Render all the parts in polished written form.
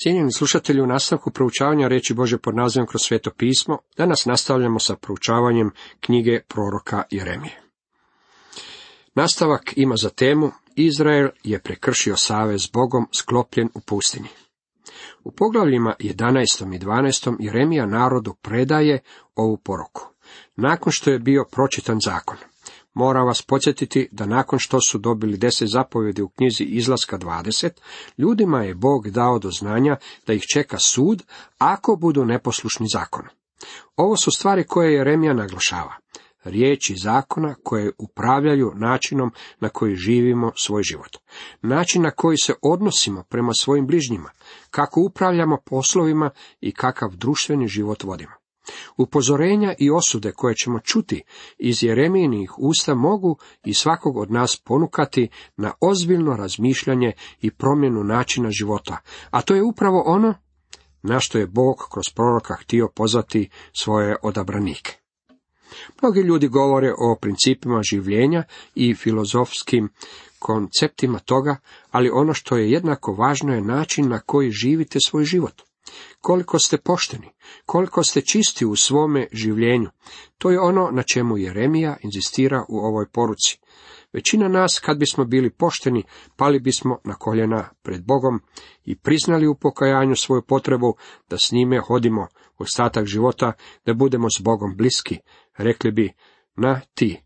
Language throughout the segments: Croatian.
Cijenjeni slušatelji, u nastavku proučavanja riječi Božje pod nazivom Kroz sveto pismo, danas nastavljamo sa proučavanjem knjige proroka Jeremije. Nastavak ima za temu Izrael je prekršio savez s Bogom sklopljen u pustinji. U poglavljima 11. i 12. Jeremija narodu predaje ovu poruku. Nakon što je bio pročitan zakon, moram vas podsjetiti da nakon što su dobili 10 zapovjedi u knjizi Izlaska 20, ljudima je Bog dao do znanja da ih čeka sud ako budu neposlušni zakonu. Ovo su stvari koje Jeremija naglašava. Riječi zakona koje upravljaju načinom na koji živimo svoj život. Način na koji se odnosimo prema svojim bližnjima, kako upravljamo poslovima i kakav društveni život vodimo. Upozorenja i osude koje ćemo čuti iz Jeremijinih usta mogu i svakog od nas ponukati na ozbiljno razmišljanje i promjenu načina života, a to je upravo ono na što je Bog kroz proroka htio pozvati svoje odabranike. Mnogi ljudi govore o principima življenja i filozofskim konceptima toga, ali ono što je jednako važno je način na koji živite svoj život. Koliko ste pošteni, koliko ste čisti u svome življenju, to je ono na čemu Jeremija inzistira u ovoj poruci. Većina nas, kad bismo bili pošteni, pali bismo na koljena pred Bogom i priznali u pokajanju svoju potrebu da s njime hodimo ostatak života, da budemo s Bogom bliski. Rekli bi, na ti.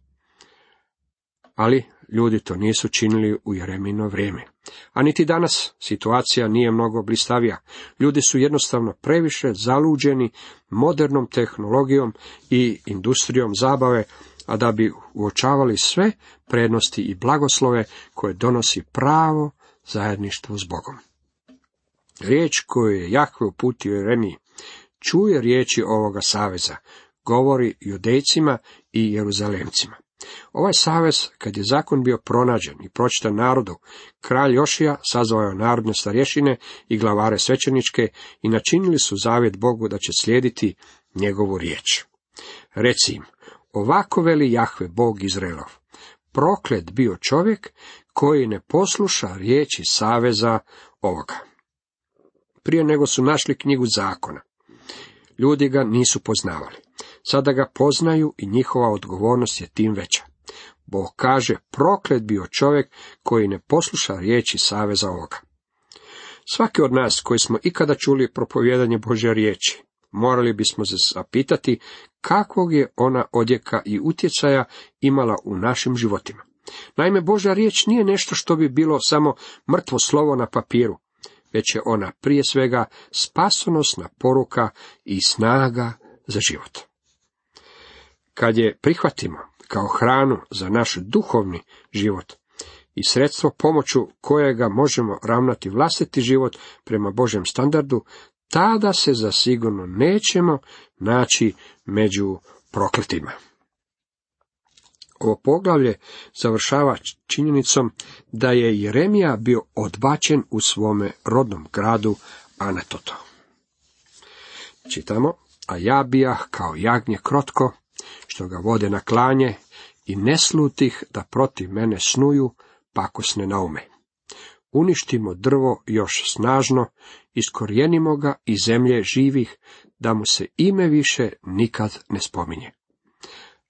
Ali ljudi to nisu činili u Jeremijino vrijeme. A niti danas situacija nije mnogo blistavija. Ljudi su jednostavno previše zaluđeni modernom tehnologijom i industrijom zabave, a da bi uočavali sve prednosti i blagoslove koje donosi pravo zajedništvo s Bogom. Riječ koju je Jahve uputio Jeremiji, čuje riječi ovoga saveza, govori Judejcima i Jeruzalemcima. Ovaj savez, kad je zakon bio pronađen i pročitan narodu, kralj Jošija sazvao je narodne starješine i glavare svećeničke i načinili su zavjet Bogu da će slijediti njegovu riječ. Reci im, ovako veli Jahve, Bog Izraelov, proklet bio čovjek koji ne posluša riječi saveza ovoga. Prije nego su našli knjigu zakona, ljudi ga nisu poznavali. Sada ga poznaju i njihova odgovornost je tim veća. Bog kaže, proklet bio čovjek koji ne posluša riječi saveza ovoga. Svaki od nas koji smo ikada čuli propovijedanje Božje riječi, morali bismo se zapitati kakvog je ona odjeka i utjecaja imala u našim životima. Naime, Božja riječ nije nešto što bi bilo samo mrtvo slovo na papiru, već je ona prije svega spasonosna poruka i snaga za život. Kad je prihvatimo kao hranu za naš duhovni život i sredstvo pomoću kojega možemo ravnati vlastiti život prema Božjem standardu, tada se zasigurno nećemo naći među prokletima. Ovo poglavlje završava činjenicom da je Jeremija bio odbačen u svome rodnom gradu Anatotu. Čitamo, a ja bijah kao jagnje krotko, što ga vode na klanje, i ne slutih da protiv mene snuju pakosne naume. Uništimo drvo još snažno, iskorijenimo ga iz zemlje živih, da mu se ime više nikad ne spominje.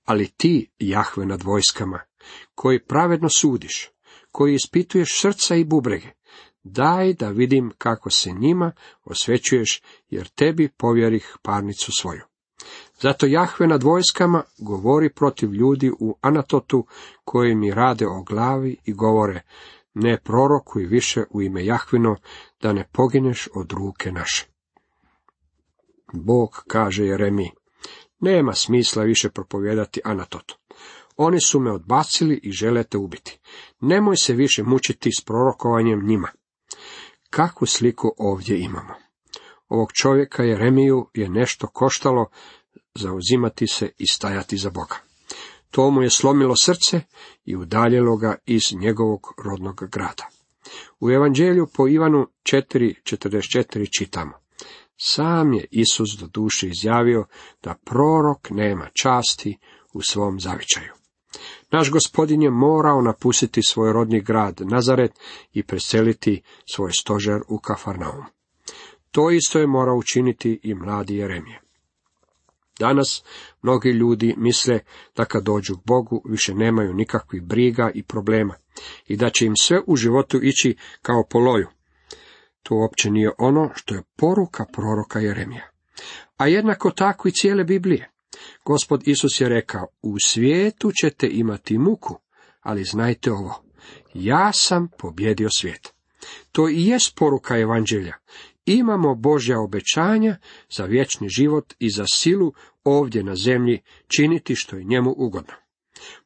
Ali ti, Jahve nad vojskama, koji pravedno sudiš, koji ispituješ srca i bubrege, daj da vidim kako se njima osvećuješ, jer tebi povjerih parnicu svoju. Zato Jahve nad vojskama govori protiv ljudi u Anatotu, koji mi rade o glavi i govore, ne prorokuj više u ime Jahvino, da ne pogineš od ruke naše. Bog kaže Jeremiji, nema smisla više propovijedati Anatotu. Oni su me odbacili i žele te ubiti. Nemoj se više mučiti s prorokovanjem njima. Kakvu sliku ovdje imamo? Ovog čovjeka Jeremiju je nešto koštalo zauzimati se i stajati za Boga. To mu je slomilo srce i udaljilo ga iz njegovog rodnog grada. U Evanđelju po Ivanu 4:44 čitamo, sam je Isus do duše izjavio da prorok nema časti u svom zavičaju. Naš Gospodin je morao napustiti svoj rodni grad Nazaret i preseliti svoj stožer u Kafarnaum. To isto je morao učiniti i mladi Jeremija. Danas mnogi ljudi misle da kad dođu k Bogu više nemaju nikakvih briga i problema i da će im sve u životu ići kao po loju. To uopće nije ono što je poruka proroka Jeremija. A jednako tako i cijele Biblije. Gospod Isus je rekao, u svijetu ćete imati muku, ali znajte ovo, ja sam pobjedio svijet. To i jest poruka evanđelja. Imamo Božja obećanja za vječni život i za silu ovdje na zemlji činiti što je njemu ugodno.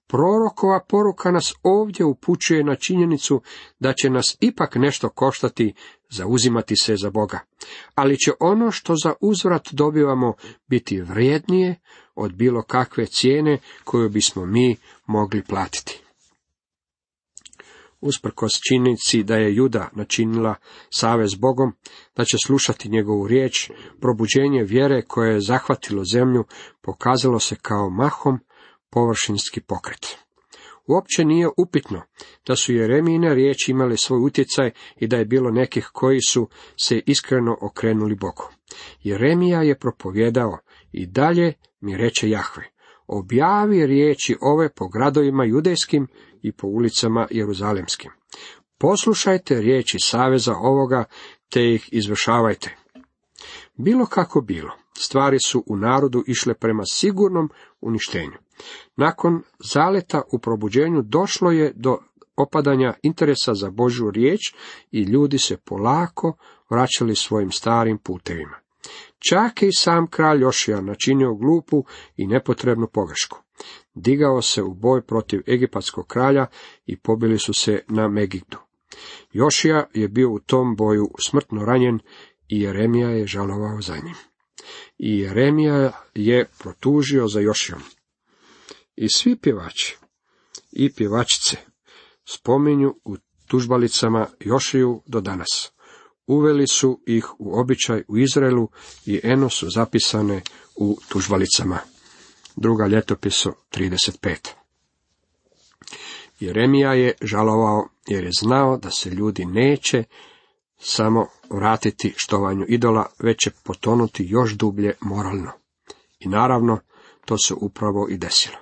Prorokova poruka nas ovdje upućuje na činjenicu da će nas ipak nešto koštati zauzimati se za Boga, ali će ono što za uzvrat dobivamo biti vrijednije od bilo kakve cijene koju bismo mi mogli platiti. Usprkos činjenici da je Juda načinila savez s Bogom, da će slušati njegovu riječ, probuđenje vjere koje je zahvatilo zemlju pokazalo se kao mahom površinski pokret. Uopće nije upitno da su Jeremijine riječi imale svoj utjecaj i da je bilo nekih koji su se iskreno okrenuli Bogu. Jeremija je propovjedao i dalje mi reče Jahve, objavi riječi ove po gradovima judejskim i po ulicama jeruzalemskim. Poslušajte riječi saveza ovoga, te ih izvršavajte. Bilo kako bilo, stvari su u narodu išle prema sigurnom uništenju. Nakon zaleta u probuđenju došlo je do opadanja interesa za Božju riječ i ljudi se polako vraćali svojim starim putevima. Čak i sam kralj Jošija načinio glupu i nepotrebnu pogrešku. Digao se u boj protiv egipatskog kralja i pobili su se na Megiddu. Jošija je bio u tom boju smrtno ranjen i Jeremija je žalovao za njim. I Jeremija je protužio za Jošijom. I svi pjevači i pjevačice spominju u tužbalicama Jošiju do danas. Uveli su ih u običaj u Izraelu i eno su zapisane u tužbalicama. Druga ljetopisu 35. Jeremija je žalovao jer je znao da se ljudi neće samo vratiti štovanju idola, već će potonuti još dublje moralno. I naravno, to se upravo i desilo.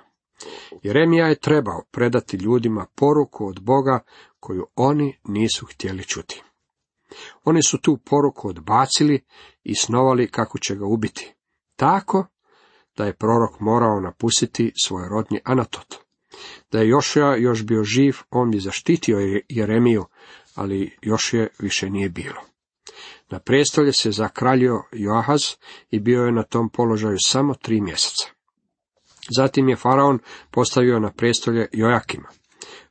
Jeremija je trebao predati ljudima poruku od Boga koju oni nisu htjeli čuti. Oni su tu poruku odbacili i snovali kako će ga ubiti. Tako da je prorok morao napustiti svoj rodni Anatot. Da je Jošija još bio živ, on bi zaštitio Jeremiju, ali Jošije više nije bilo. Na prestolje se zakraljio Joahaz i bio je na tom položaju samo 3 mjeseca. Zatim je faraon postavio na prestolje Jojakima.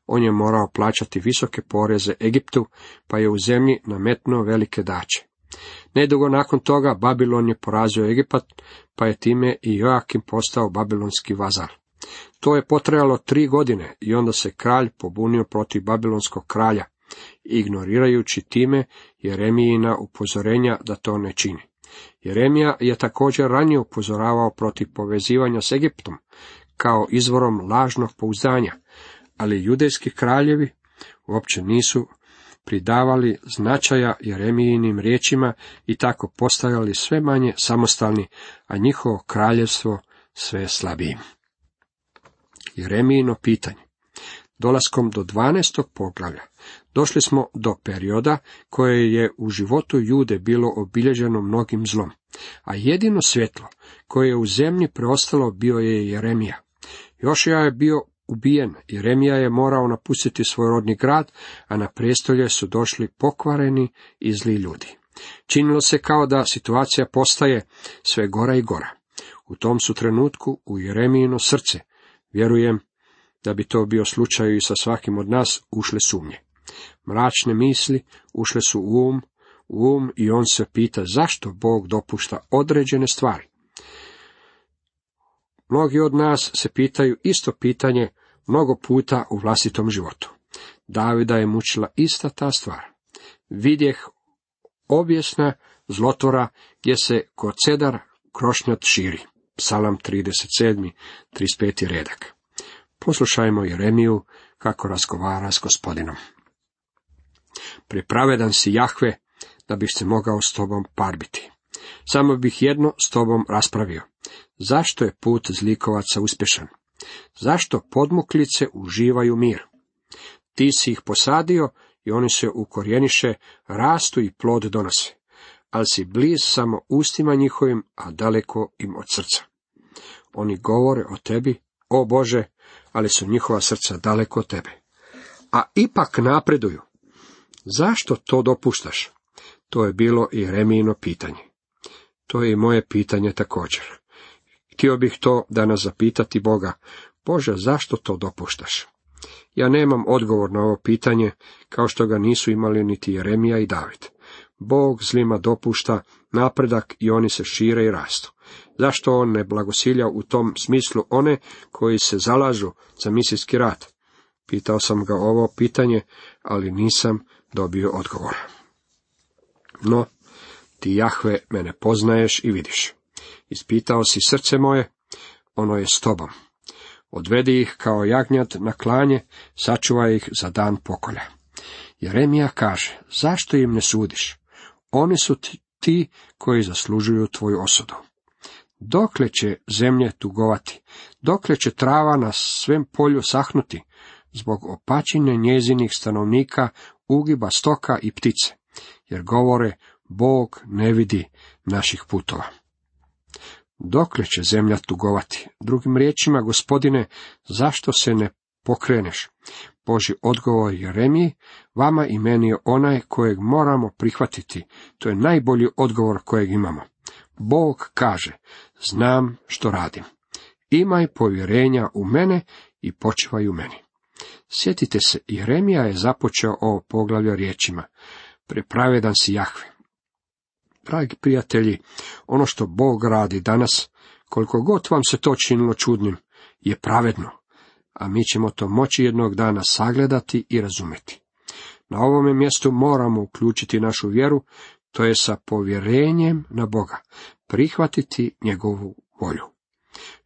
On je morao plaćati visoke poreze Egiptu, pa je u zemlji nametnuo velike daće. Nedugo nakon toga Babilon je porazio Egipat, pa je time i Jojakim postao babilonski vazal. To je potrajalo 3 godine i onda se kralj pobunio protiv babilonskog kralja, ignorirajući time Jeremijina upozorenja da to ne čini. Jeremija je također ranije upozoravao protiv povezivanja s Egiptom kao izvorom lažnog pouzdanja, ali judejski kraljevi uopće nisu pridavali značaja Jeremijinim riječima i tako postajali sve manje samostalni, a njihovo kraljevstvo sve slabijim. Jeremijino pitanje. Dolaskom do 12. poglavlja došli smo do perioda koje je u životu Jude bilo obilježeno mnogim zlom, a jedino svjetlo koje je u zemlji preostalo bio je Jeremija. Jošija je bio ubijen, Jeremija je morao napustiti svoj rodni grad, a na prijestolje su došli pokvareni i zli ljudi. Činilo se kao da situacija postaje sve gora i gora. U tom su trenutku u Jeremijino srce, vjerujem da bi to bio slučaj i sa svakim od nas, ušle sumnje. Mračne misli ušle su u um i on se pita zašto Bog dopušta određene stvari. Mnogi od nas se pitaju isto pitanje mnogo puta u vlastitom životu. Davida je mučila ista ta stvar. Vidjeh objesna zlotvora gdje se ko cedar krošnjat širi. Psalam 37. 35. redak. Poslušajmo Jeremiju kako razgovara s Gospodinom. Pripravedan si Jahve da bih se mogao s tobom parbiti. Samo bih jedno s tobom raspravio. Zašto je put zlikovaca uspješan? Zašto podmuklice uživaju mir? Ti si ih posadio i oni se ukorijeniše, rastu i plod donose. Ali si bliz samo ustima njihovim, a daleko im od srca. Oni govore o tebi, o Bože, ali su njihova srca daleko od tebe. A ipak napreduju. Zašto to dopuštaš? To je bilo i Jeremijino pitanje. To je i moje pitanje također. Htio bih to danas zapitati Boga, Bože, zašto to dopuštaš? Ja nemam odgovor na ovo pitanje, kao što ga nisu imali niti Jeremija i David. Bog zlima dopušta napredak i oni se šire i rastu. Zašto on ne blagosilja u tom smislu one koji se zalažu za misijski rad? Pitao sam ga ovo pitanje, ali nisam dobio odgovor. No, ti, Jahve, mene poznaješ i vidiš. Ispitao si srce moje, ono je s tobom. Odvedi ih kao jagnjad na klanje, sačuvaj ih za dan pokolja. Jeremija kaže, zašto im ne sudiš? Oni su ti koji zaslužuju tvoju osudu. Dokle će zemlje tugovati? Dokle će trava na svem polju sahnuti? Zbog opačine njezinih stanovnika, ugiba stoka i ptice, jer govore, Bog ne vidi naših putova. Dokle će zemlja tugovati? Drugim riječima, Gospodine, zašto se ne pokreneš? Božji odgovor Jeremiji, vama i meni je onaj kojeg moramo prihvatiti. To je najbolji odgovor kojeg imamo. Bog kaže, znam što radim. Imaj povjerenja u mene i počivaj u meni. Sjetite se, Jeremija je započeo ovo poglavlje riječima, prepravedan si Jahve. Dragi prijatelji, ono što Bog radi danas, koliko god vam se to činilo čudnim, je pravedno, a mi ćemo to moći jednog dana sagledati i razumjeti. Na ovome mjestu moramo uključiti našu vjeru, to je sa povjerenjem na Boga, prihvatiti njegovu volju.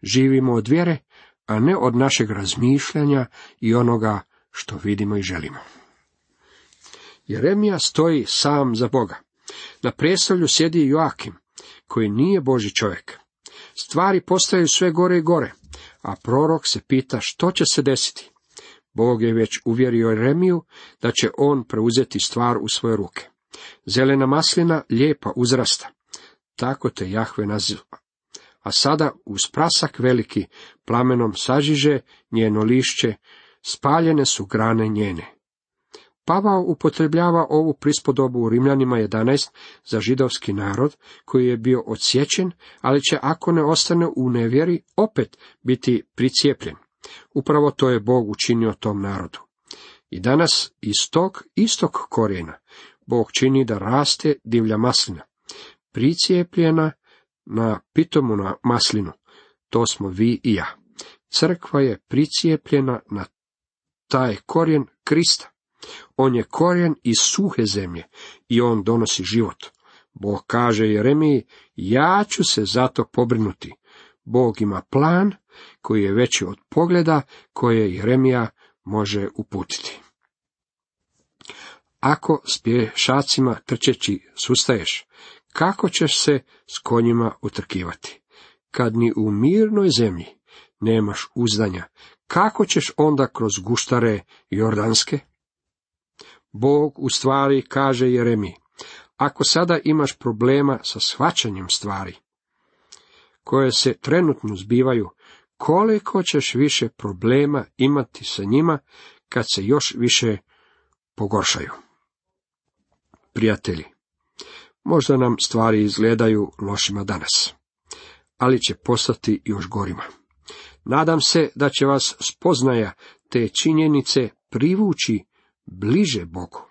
Živimo od vjere, a ne od našeg razmišljanja i onoga što vidimo i želimo. Jeremija stoji sam za Boga. Na prijestolju sjedi Joakim, koji nije Božji čovjek. Stvari postaju sve gore i gore, a prorok se pita što će se desiti. Bog je već uvjerio Jeremiju da će on preuzeti stvar u svoje ruke. Zelena maslina lijepa uzrasta, tako te Jahve naziva. A sada uz prasak veliki plamenom sažiže njeno lišće, spaljene su grane njene. Pavao upotrebljava ovu prispodobu u Rimljanima 11 za židovski narod koji je bio odsječen, ali će ako ne ostane u nevjeri opet biti pricijepljen. Upravo to je Bog učinio tom narodu. I danas iz tog istog korijena Bog čini da raste divlja maslina, pricijepljena na pitomu na maslinu. To smo vi i ja. Crkva je pricijepljena na taj korijen Krista. On je korijen iz suhe zemlje i on donosi život. Bog kaže Jeremiji, ja ću se zato pobrinuti. Bog ima plan koji je veći od pogleda koje Jeremija može uputiti. Ako s pješacima trčeći sustaješ, kako ćeš se s konjima utrkivati? Kad ni u mirnoj zemlji nemaš uzdanja, kako ćeš onda kroz guštare jordanske? Bog u stvari kaže Jeremiji, ako sada imaš problema sa shvaćanjem stvari, koje se trenutno zbivaju, koliko ćeš više problema imati sa njima kad se još više pogoršaju? Prijatelji, možda nam stvari izgledaju lošima danas, ali će postati još gorima. Nadam se da će vas spoznaja te činjenice privući bliže Bogu.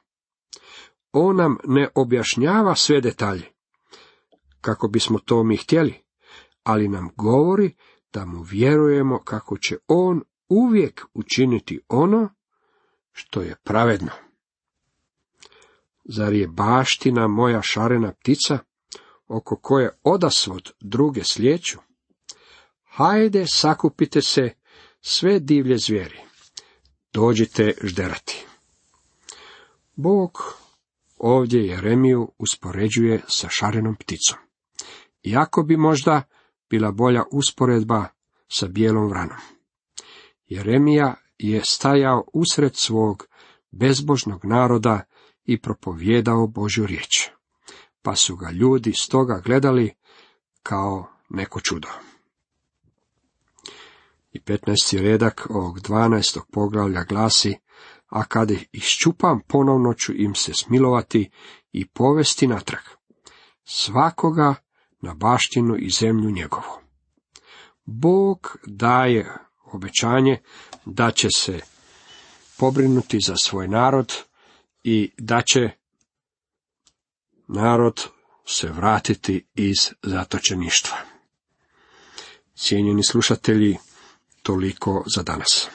On nam ne objašnjava sve detalje, kako bismo to mi htjeli, ali nam govori da mu vjerujemo kako će on uvijek učiniti ono što je pravedno. Zar je baština moja šarena ptica, oko koje odasvod druge slijeću? Hajde, sakupite se, sve divlje zvijeri, dođite žderati. Bog ovdje Jeremiju uspoređuje sa šarenom pticom. Iako bi možda bila bolja usporedba sa bijelom vranom. Jeremija je stajao usred svog bezbožnog naroda i propovijedao Božju riječ, pa su ga ljudi stoga gledali kao neko čudo. I 15. redak ovog 12. poglavlja glasi: a kad ih iščupam, ponovno ću im se smilovati i povesti natrag, svakoga na baštinu i zemlju njegovu. Bog daje obećanje da će se pobrinuti za svoj narod i da će narod se vratiti iz zatočeništva. Cijenjeni slušatelji, toliko za danas.